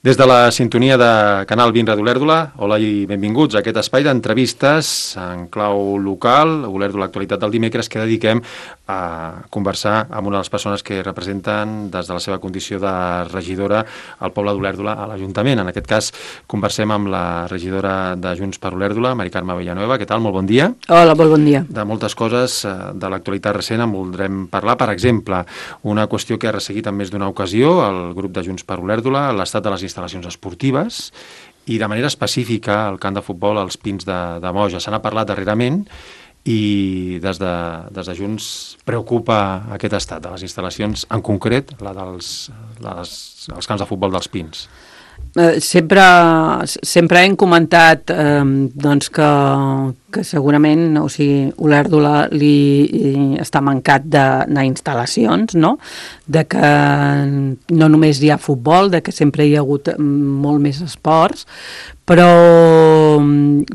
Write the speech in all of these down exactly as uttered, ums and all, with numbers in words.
Des de la sintonia de Canal vint Ràdio Olèrdola, hola i benvinguts a aquest espai d'entrevistes en clau local, Olèrdola Actualitat del dimecres, que dediquem a conversar amb una de les persones que representen des de la seva condició de regidora al poble d'Olèrdola a l'Ajuntament. En aquest cas, conversem amb la regidora de Junts per Olèrdola, Mari Carme Villanueva. Què tal? Molt bon dia. Hola, molt bon dia. De moltes coses de l'actualitat recent en voldrem parlar. Per exemple, una qüestió que ha resseguit en més d'una ocasió el grup de Junts per Olèrdola, l'estat de les instal·lacions esportives i de manera específica el camp de futbol als Pins de, de Moja. Se n'ha parlat darrerament i des de, des de Junts preocupa aquest estat de les instal·lacions, en concret la dels les, els camps de futbol dels Pins. Eh, sempre, sempre hem comentat eh, doncs que, que segurament, o sigui, Olèrdola li està mancat d'instal·lacions, no? De que no només hi ha futbol, de que sempre hi ha hagut molt més esports, però,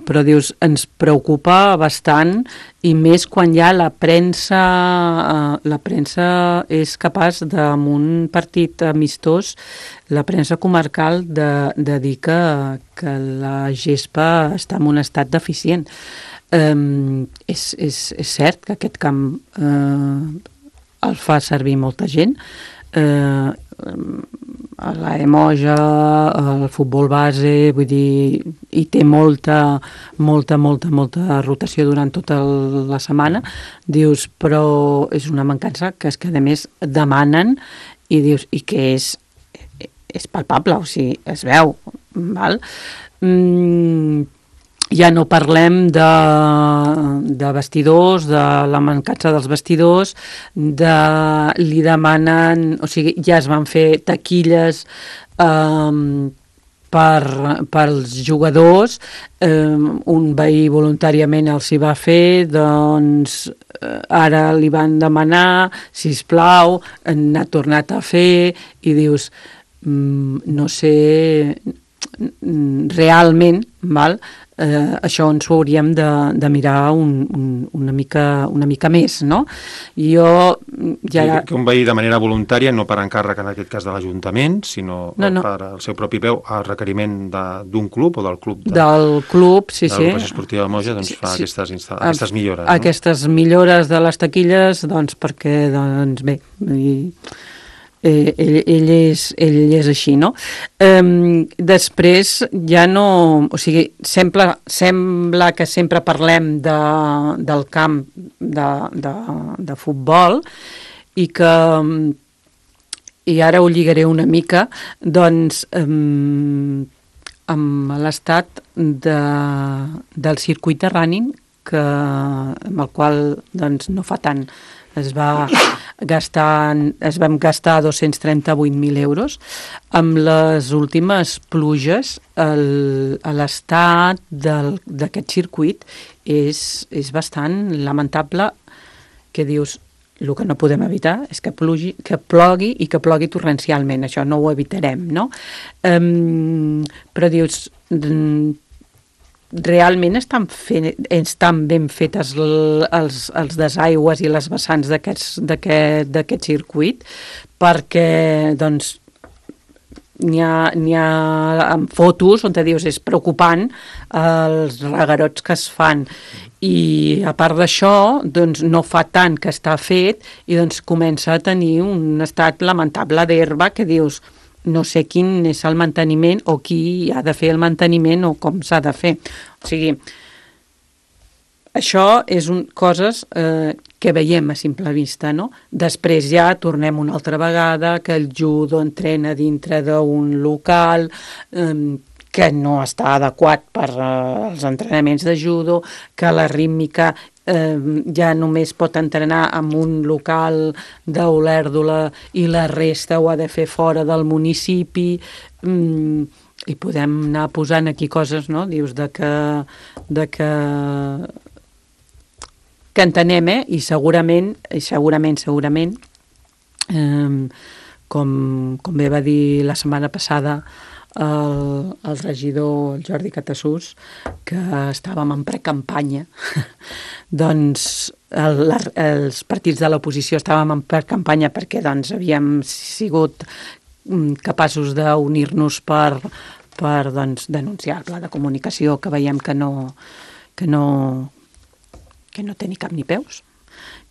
però dius, ens preocupa bastant i més quan ja la premsa, eh, la premsa és capaç de, en un partit amistós, la premsa comarcal de, de dir que, que la gespa està en un estat deficient. Um, és, és, és cert que aquest camp eh, el fa servir molta gent, eh, a la Emoja, el futbol base, vull dir, hi té molta, molta, molta, molta rotació durant tota la setmana, dius, però és una mancança que és que a més demanen i dius, i que és, és palpable, o sigui, es veu, val? Mm, ja no parlem de, de vestidors, de la mancança dels vestidors, de, li demanen, o sigui, ja es van fer taquilles eh, per, pels jugadors, eh, un veí voluntàriament els hi va fer, doncs eh, ara li van demanar, sisplau, n'ha tornat a fer, i dius, mm, no sé, realment, val? Eh, això ens ho hauríem de, de mirar un, un, una, mica, una mica més, no? Jo ja... Que, que un veí de manera voluntària, no per encàrrec en aquest cas de l'Ajuntament, sinó no, no. per el seu propi peu, al requeriment d'un club o del club de, del club, sí, de sí. l'Agrupació Esportiva de Moja, doncs sí, fa sí. aquestes, insta... aquestes millores. Aquestes no? millores de les taquilles, doncs perquè, doncs bé, i... Eh, ell, ell, és, ell és així, no? Eh, després ja no... O sigui, sembla, sembla que sempre parlem de, del camp de, de, de futbol i que... I ara ho lligaré una mica, doncs, eh, amb l'estat de, del circuit de running, que, amb el qual doncs, no fa tant es va gastar, es vam gastar dos-cents trenta-vuit mil euros. Amb les últimes pluges, el, l'estat d'aquest circuit és, és bastant lamentable, que dius, el que no podem evitar és que, plugi, que plogui i que plogui torrencialment, això no ho evitarem, no? Um, però dius... realment estan, fent, estan ben fetes els, els desaigües i les vessants d'aquest circuit, perquè doncs n'hi ha, n'hi ha amb fotos on te dius és preocupant els regarots que es fan, i a part d'això doncs no fa tant que està fet i doncs comença a tenir un estat lamentable d'herba que dius no sé quin és el manteniment o qui ha de fer el manteniment o com s'ha de fer. O sigui, això és un, coses eh, que veiem a simple vista, no? Després ja tornem una altra vegada que el judo entrena dintre d'un local eh, que no està adequat per eh, els entrenaments de judo, que la rítmica Eh, ja només pot entrenar en un local d'Olèrdola i la resta ho ha de fer fora del municipi, mm, i podem anar posant aquí coses, no? Dius de que, de que, que entenem, eh? I segurament, i segurament, segurament, eh, com, com bé va dir la setmana passada el, el regidor el Jordi Catassús, que estàvem en precampanya, doncs el, els partits de l'oposició estàvem en precampanya perquè doncs, havíem sigut capaços d'unir-nos per, per doncs, denunciar el pla de comunicació que veiem que no, que no, que no té ni cap ni peus,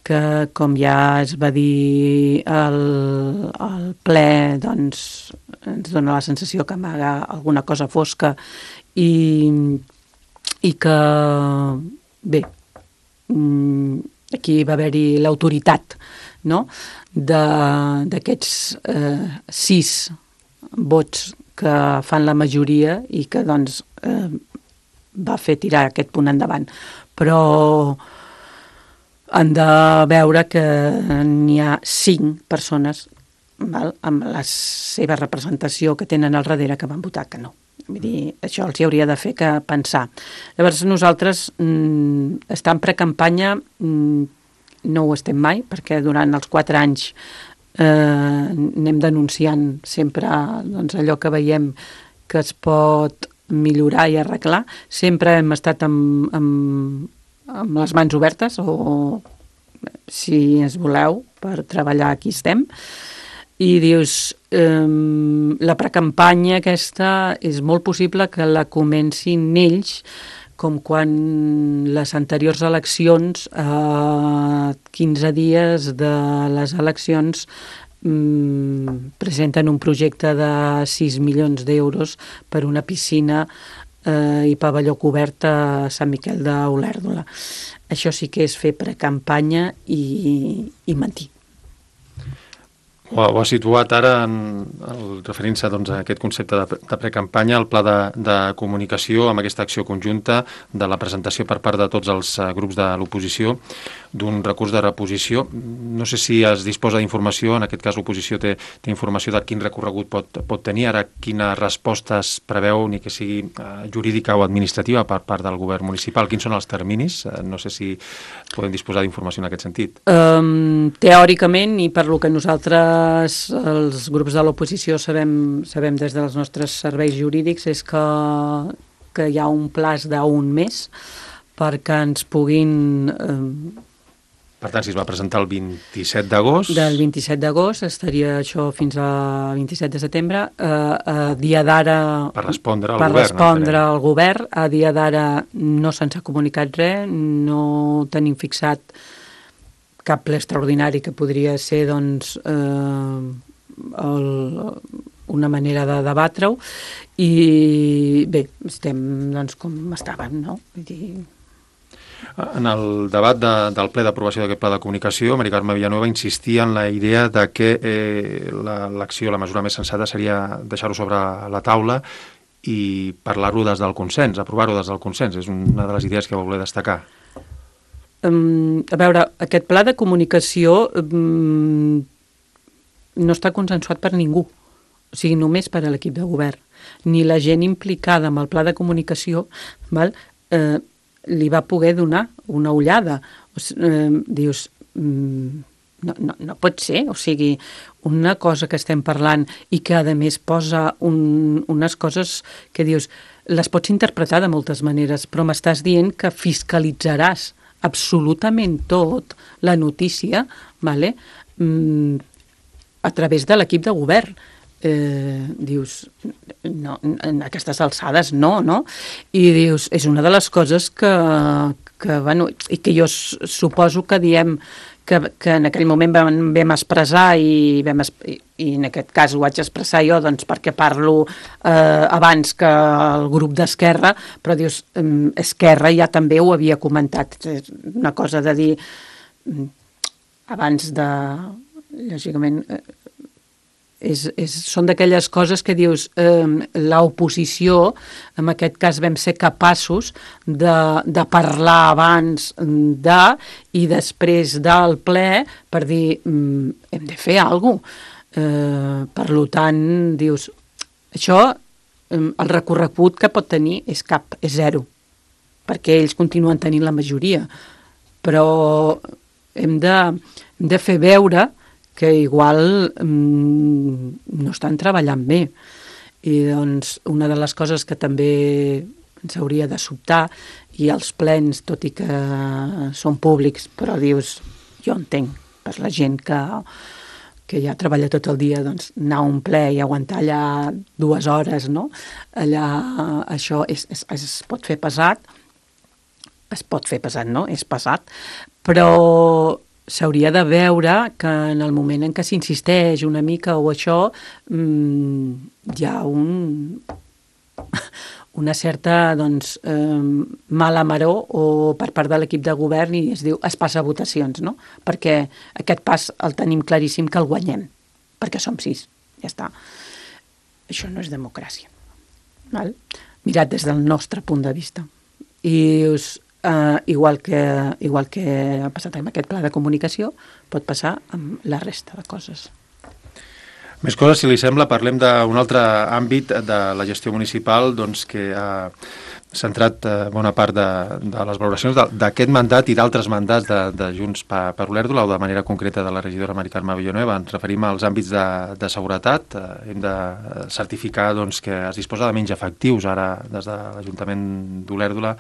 que com ja es va dir al, al ple, doncs ens dona la sensació que amaga alguna cosa fosca i, i que, bé, aquí va haver-hi l'autoritat, no?, d'aquests eh, sis vots que fan la majoria i que doncs eh, va fer tirar aquest punt endavant. Però han de veure que n'hi ha cinc persones, val, amb la seva representació que tenen al darrere que van votar que no. Vull dir, això els hi hauria de fer que pensar. Llavors nosaltres mm, estar en precampanya mm, no ho estem mai, perquè durant els quatre anys eh, anem denunciant sempre doncs, allò que veiem que es pot millorar i arreglar. Sempre hem estat amb, amb, amb les mans obertes, o si es voleu, per treballar aquí estem. I dius, eh, la precampanya aquesta és molt possible que la comencin ells, com quan les anteriors eleccions, a eh, quinze dies de les eleccions, mm, presenten un projecte de sis milions d'euros per una piscina eh, i pavelló cobert a Sant Miquel d'Olèrdola. Això sí que és fer precampanya i, i mentir. Ho ha, ho ha situat ara en, el, referint-se doncs, a aquest concepte de, de precampanya, el pla de, de comunicació amb aquesta acció conjunta de la presentació per part de tots els uh, grups de l'oposició d'un recurs de reposició. No sé si es disposa d'informació, en aquest cas l'oposició té, té informació de quin recorregut pot, pot tenir, ara quines respostes preveu, ni que sigui uh, jurídica o administrativa per part del govern municipal, quins són els terminis? Uh, no sé si podem disposar d'informació en aquest sentit. Um, teòricament, i per lo que nosaltres els grups de l'oposició sabem, sabem des dels nostres serveis jurídics, és que, que hi ha un plaç d'un mes perquè ens puguin... Eh, per tant, si es va presentar el vint-i-set d'agost... Del vint-i-set d'agost, estaria això fins al vint-i-set de setembre. Eh, a dia d'ara... Per respondre al per govern. Per respondre al govern. A dia d'ara no se'ns ha comunicat res, no tenim fixat cap ple extraordinari que podria ser doncs, eh, el, una manera de debatre-ho, i bé, estem doncs, com estàvem, no? Vull dir... En el debat de, del ple d'aprovació d'aquest pla de comunicació, Mari Carme Villanueva insistia en la idea de que eh, l'acció, la, la mesura més sensata seria deixar-ho sobre la taula i parlar-ho des del consens, aprovar-ho des del consens. És una de les idees que va voler destacar. Um, a veure, aquest pla de comunicació um, no està consensuat per ningú, o sigui, només per a l'equip de govern. Ni la gent implicada amb el pla de comunicació, val, eh, li va poder donar una ullada. O sigui, eh, dius, um, no, no, no pot ser, o sigui, una cosa que estem parlant i que a més posa un, unes coses que dius, les pots interpretar de moltes maneres, però m'estàs dient que fiscalitzaràs absolutament tot, la notícia, vale? mm, a través de l'equip de govern. Eh, dius, no, en aquestes alçades no, no? I dius, és una de les coses que, que bueno, i que jo suposo que diem que, que en aquell moment vam, vam expressar i, vam, i, i en aquest cas ho vaig expressar jo doncs, perquè parlo eh, abans que el grup d'Esquerra, però dius, eh, Esquerra ja també ho havia comentat. És una cosa de dir abans de, lògicament, eh, és, és, són d'aquelles coses que dius, eh, l'oposició, en aquest cas vam ser capaços de, de parlar abans de i després del ple per dir, mm, hem de fer alguna cosa. Eh, per tant, dius, això, eh, el recorregut que pot tenir és cap, és zero, perquè ells continuen tenint la majoria, però hem de, hem de fer veure que igual mm, no estan treballant bé. I doncs una de les coses que també ens hauria de sobtar, i els plens, tot i que són públics, però dius, jo entenc per la gent que, que ja treballa tot el dia, doncs anar a un ple i aguantar allà dues hores, no? Allà això és, és, es pot fer pesat, es pot fer pesat, no? És pesat, però s'hauria de veure que en el moment en què s'insisteix una mica o això, mmm, hi ha un... una certa doncs, eh, mala maror o per part de l'equip de govern i es diu es passa a votacions, no? Perquè aquest pas el tenim claríssim que el guanyem, perquè som sis, ja està. Això no és democràcia, val? Mirat des del nostre punt de vista. I us, eh, igual, que, igual que ha passat amb aquest pla de comunicació, pot passar amb la resta de coses. Més coses, si li sembla, parlem d'un altre àmbit de la gestió municipal doncs, que ha centrat eh, bona part de, de les valoracions d'aquest mandat i d'altres mandats de, de Junts per, per Olèrdola o de manera concreta de la regidora Mari Carme Villanueva. Ens referim als àmbits de, de seguretat. Eh, hem de certificar doncs, que es disposa de menys efectius. Ara, des de l'Ajuntament d'Olèrdola,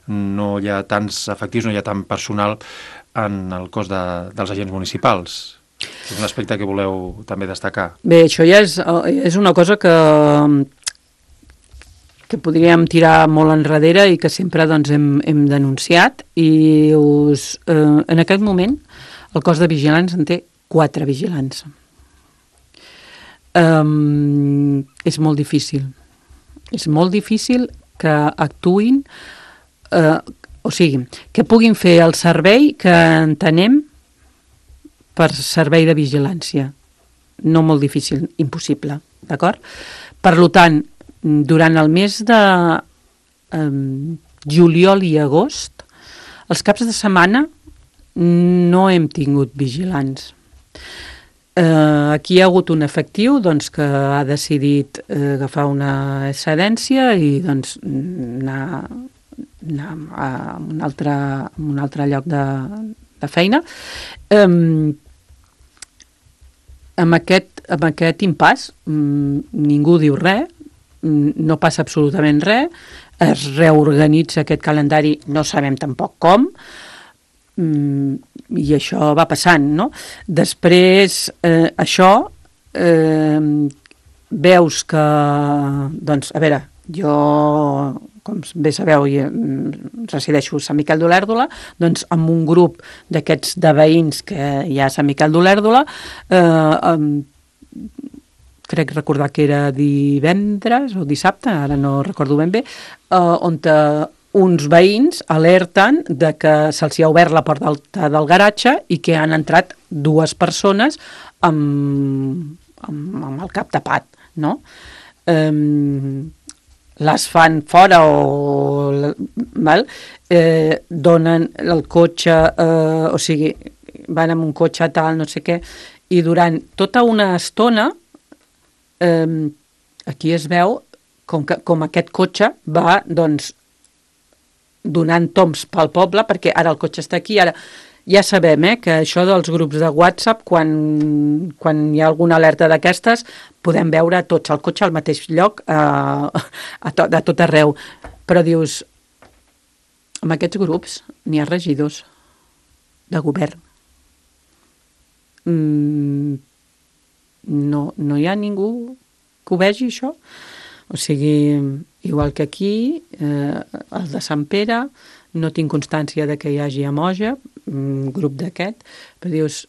no hi ha tants efectius, no hi ha tant personal en el cos de, dels agents municipals. És un aspecte que voleu també destacar. Bé, això ja és, és una cosa que, que podríem tirar molt enrere i que sempre doncs, hem, hem denunciat i us, eh, en aquest moment el cos de vigilants en té quatre vigilants. Um, és molt difícil. És molt difícil que actuïn, eh, o sigui, que puguin fer el servei que entenem per servei de vigilància. No molt difícil, impossible, d'acord? Per tant, durant el mes de eh, juliol i agost, els caps de setmana no hem tingut vigilants. Eh, aquí hi ha hagut un efectiu doncs, que ha decidit eh, agafar una excedència i doncs, anar, anar a un altre, a un altre lloc de, de feina. Eh, Amb aquest, amb aquest impàs ningú diu res, no passa absolutament res, es reorganitza aquest calendari, no sabem tampoc com, i això va passant, no? Després, eh, això, eh, veus que, doncs, a veure, jo, com bé sabeu, resideixo a Sant Miquel d'Olèrdola, doncs amb un grup d'aquests de veïns que hi ha a Sant Miquel d'Olèrdola, eh, crec recordar que era divendres o dissabte, ara no recordo ben bé, eh, on uns veïns alerten de que se'ls ha obert la porta del, del garatge i que han entrat dues persones amb, amb, amb el cap tapat, no? Eh, les fan fora o val? Eh, donen el cotxe, eh, o sigui, van amb un cotxe tal, no sé què, i durant tota una estona eh, aquí es veu com, que, com aquest cotxe va, doncs, donant toms pel poble, perquè ara el cotxe està aquí, ara ja sabem eh, que això dels grups de WhatsApp, quan, quan hi ha alguna alerta d'aquestes, podem veure tots el cotxe al mateix lloc, eh, a to, de tot arreu. Però dius, amb aquests grups n'hi ha regidors de govern. Mm, no, no hi ha ningú que ho vegi, això? O sigui, igual que aquí, eh, el de Sant Pere, no tinc constància de que hi hagi a Moja, un grup d'aquest, però dius,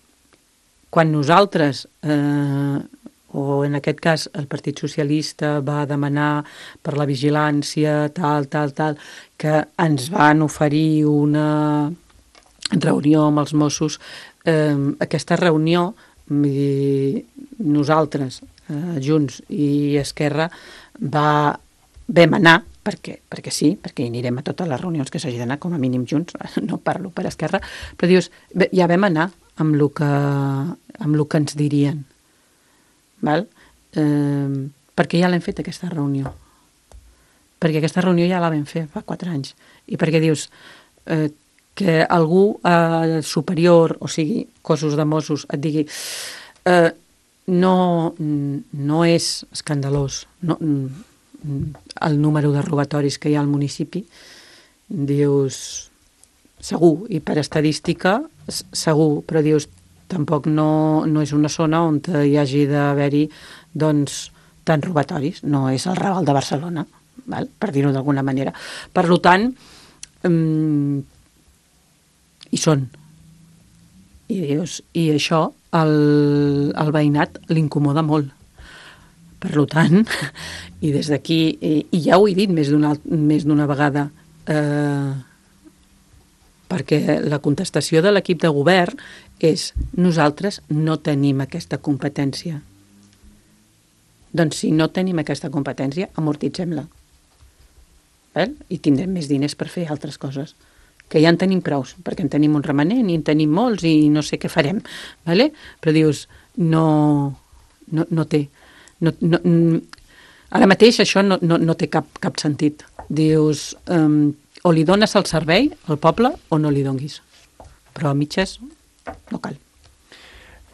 quan nosaltres, eh, o en aquest cas el Partit Socialista va demanar per la vigilància, tal, tal, tal, que ens van oferir una reunió amb els Mossos, eh, aquesta reunió, nosaltres, eh, Junts i Esquerra, va, vam anar, perquè, perquè sí, perquè hi anirem a totes les reunions que s'hagi d'anar, com a mínim Junts, no parlo per Esquerra, però dius, ja vam anar amb el que, amb el que ens dirien, val? Eh, perquè ja l'hem fet aquesta reunió, perquè aquesta reunió ja la vam fer fa quatre anys, i perquè dius eh, que algú eh, superior, o sigui, cossos de Mossos, et digui eh, no, no és escandalós, no, el número de robatoris que hi ha al municipi, dius, segur, i per estadística, segur, però dius, tampoc no, no és una zona on hi hagi d'haver-hi doncs, tants robatoris, no és el Raval de Barcelona, val? Per dir-ho d'alguna manera. Per tant, um, hi són. I dius, i això el, el veïnat l'incomoda molt. Per tant, i des d'aquí, i, i ja ho he dit més d'una més d'una vegada, eh, perquè la contestació de l'equip de govern és nosaltres no tenim aquesta competència. Doncs si no tenim aquesta competència, amortitzem-la. Eh? I tindrem més diners per fer altres coses, que ja en tenim prous, perquè en tenim un remanent i en tenim molts i no sé què farem. Vale? Però dius, no, no, no té. No, no, ara mateix això no, no, no té cap, cap sentit. Dius, um, o li dones el servei al poble o no li donguis. Però a mitges no cal.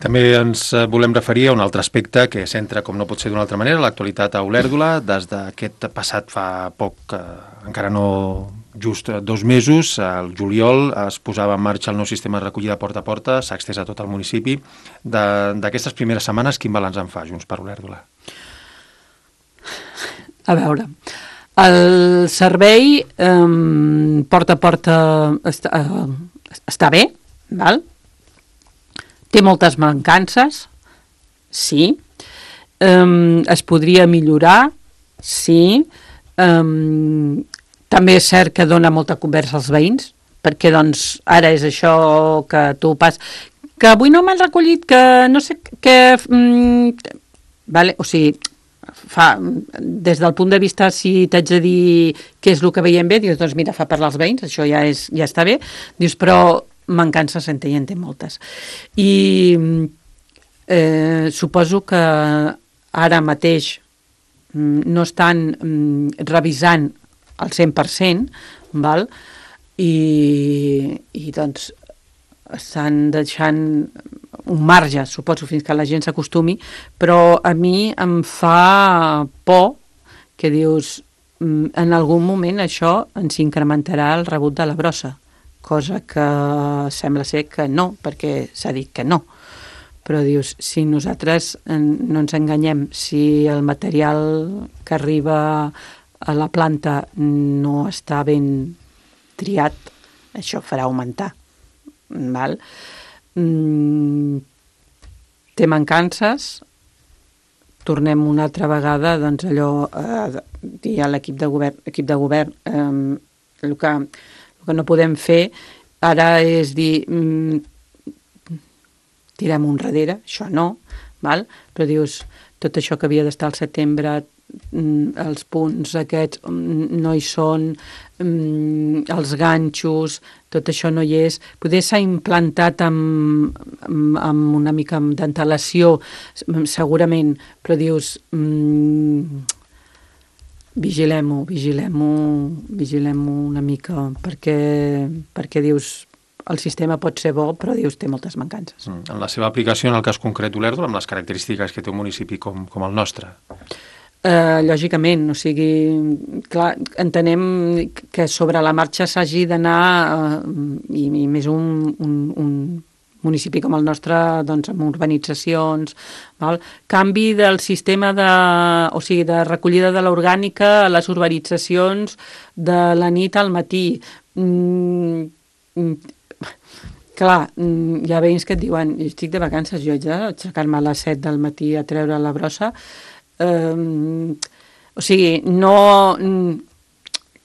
També ens volem referir a un altre aspecte que centra, com no pot ser d'una altra manera, l'actualitat a Olèrdola. Des d'aquest passat fa poc, eh, encara no just dos mesos, al juliol es posava en marxa el nou sistema de recollida porta a porta, s'ha estès a tot el municipi. D'aquestes primeres setmanes, quin balanç en fa Junts per Olèrdola? A veure, el servei eh, porta a porta està, eh, està bé, val? Té moltes mancances, sí. Um, es podria millorar, sí. Um, també és cert que dona molta conversa als veïns, perquè doncs ara és això que tu pas... Que avui no m'han recollit, que no sé què... Um, vale? O sigui, fa, des del punt de vista, si t'haig de dir què és el que veiem bé, dius, doncs mira, fa parlar als veïns, això ja, és, ja està bé. Dius, però... mancances en té i en té moltes. I eh, suposo que ara mateix no estan mm, revisant el cent per cent, val? I, i doncs estan deixant un marge, suposo, fins que la gent s'acostumi, però a mi em fa por que dius, en algun moment això ens incrementarà el rebut de la brossa, cosa que sembla ser que no, perquè s'ha dit que no. Però dius, si nosaltres no ens enganyem, si el material que arriba a la planta no està ben triat, això farà augmentar. Val? Mm, té mancances, tornem una altra vegada, doncs allò, eh, dir a l'equip de govern, equip de govern eh, el que... El que no podem fer ara és dir mm, tirem un darrere, això no, val? Però dius, tot això que havia d'estar al setembre, mm, els punts aquests mm, no hi són, mm, els ganxos, tot això no hi és. Poder s'ha implantat amb, amb, amb una mica d'antelació, segurament, però dius... Mm, vigilem-ho, vigilem-ho, vigilem-ho una mica, perquè, perquè dius, el sistema pot ser bo, però dius, té moltes mancances. Mm. En la seva aplicació, en el cas concret d'Olèrdola, amb les característiques que té un municipi com, com el nostre? Uh, lògicament, o sigui, clar, entenem que sobre la marxa s'hagi d'anar, uh, i, i més un, un, un municipi com el nostre, doncs, amb urbanitzacions, val? Canvi del sistema de, o sigui, de recollida de l'orgànica a les urbanitzacions de la nit al matí. Mm, mm, clar, mm, hi ha veïns que et diuen, estic de vacances, jo haig d'aixecar-me a les set del matí a treure la brossa. Um, o sigui, no...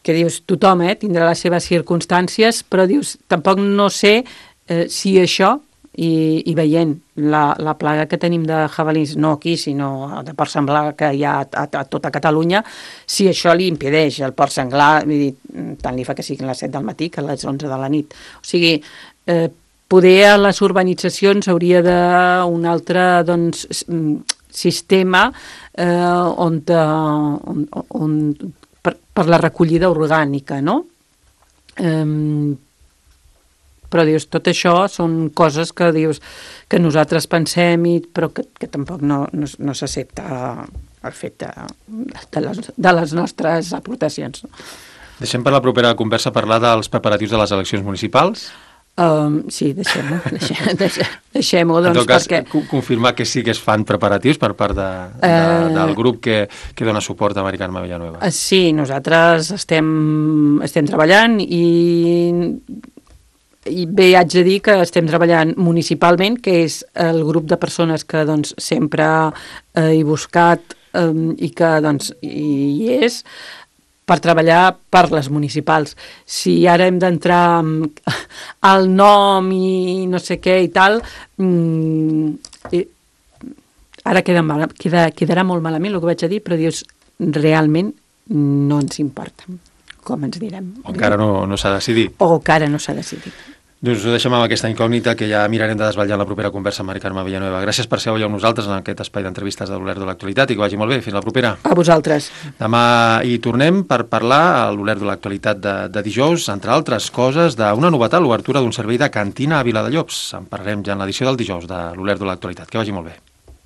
que dius, tothom eh, tindrà les seves circumstàncies, però dius, tampoc no sé eh, si això... I, i veient la, la plaga que tenim de jabalins, no aquí, sinó de porc senglar que hi ha a, a, a tota Catalunya, si això li impedeix el porc senglar, vull dir, tant li fa que siguin les set del matí que a les onze de la nit. O sigui, eh, poder a les urbanitzacions hauria d'un altre doncs, sistema eh, on, on, on, per, per la recollida orgànica, no? Eh, però dius, tot això són coses que dius que nosaltres pensem i, però que, que tampoc no, no, no s'accepta el fet de, de, les, de les nostres aportacions. Deixem per la propera conversa parlar dels preparatius de les eleccions municipals. Um, sí, deixem-ho, deixem, deixem, deixem-ho, doncs, en tot cas, perquè... confirmar que sí que es fan preparatius per part de, de, uh... del grup que, que dona suport a Mari Carme Villanueva. Sí, nosaltres estem, estem treballant i... I bé, haig de dir que estem treballant municipalment, que és el grup de persones que doncs, sempre eh, he buscat eh, i que doncs, hi és, per treballar per les municipals. Si ara hem d'entrar al nom i no sé què i tal, mm, ara queda mal, queda, quedarà molt malament el que vaig a dir, però dius, realment no ens importa, com ens direm. O encara no, no s'ha decidit. O encara no s'ha decidit. Doncs ho deixem amb aquesta incògnita que ja mirarem de desvetllar en la propera conversa amb Mari Carme Villanueva. Gràcies per ser avui amb nosaltres en aquest espai d'entrevistes de l'Olerdo de l'Actualitat i que vagi molt bé. Fins la propera. A vosaltres. Demà hi tornem per parlar a l'Olerdo de l'Actualitat de, de dijous, entre altres coses, d'una novetat, l'obertura d'un servei de cantina a Viladellobs. En parlarem ja en l'edició del dijous de l'Olerdo de l'Actualitat. Que vagi molt bé.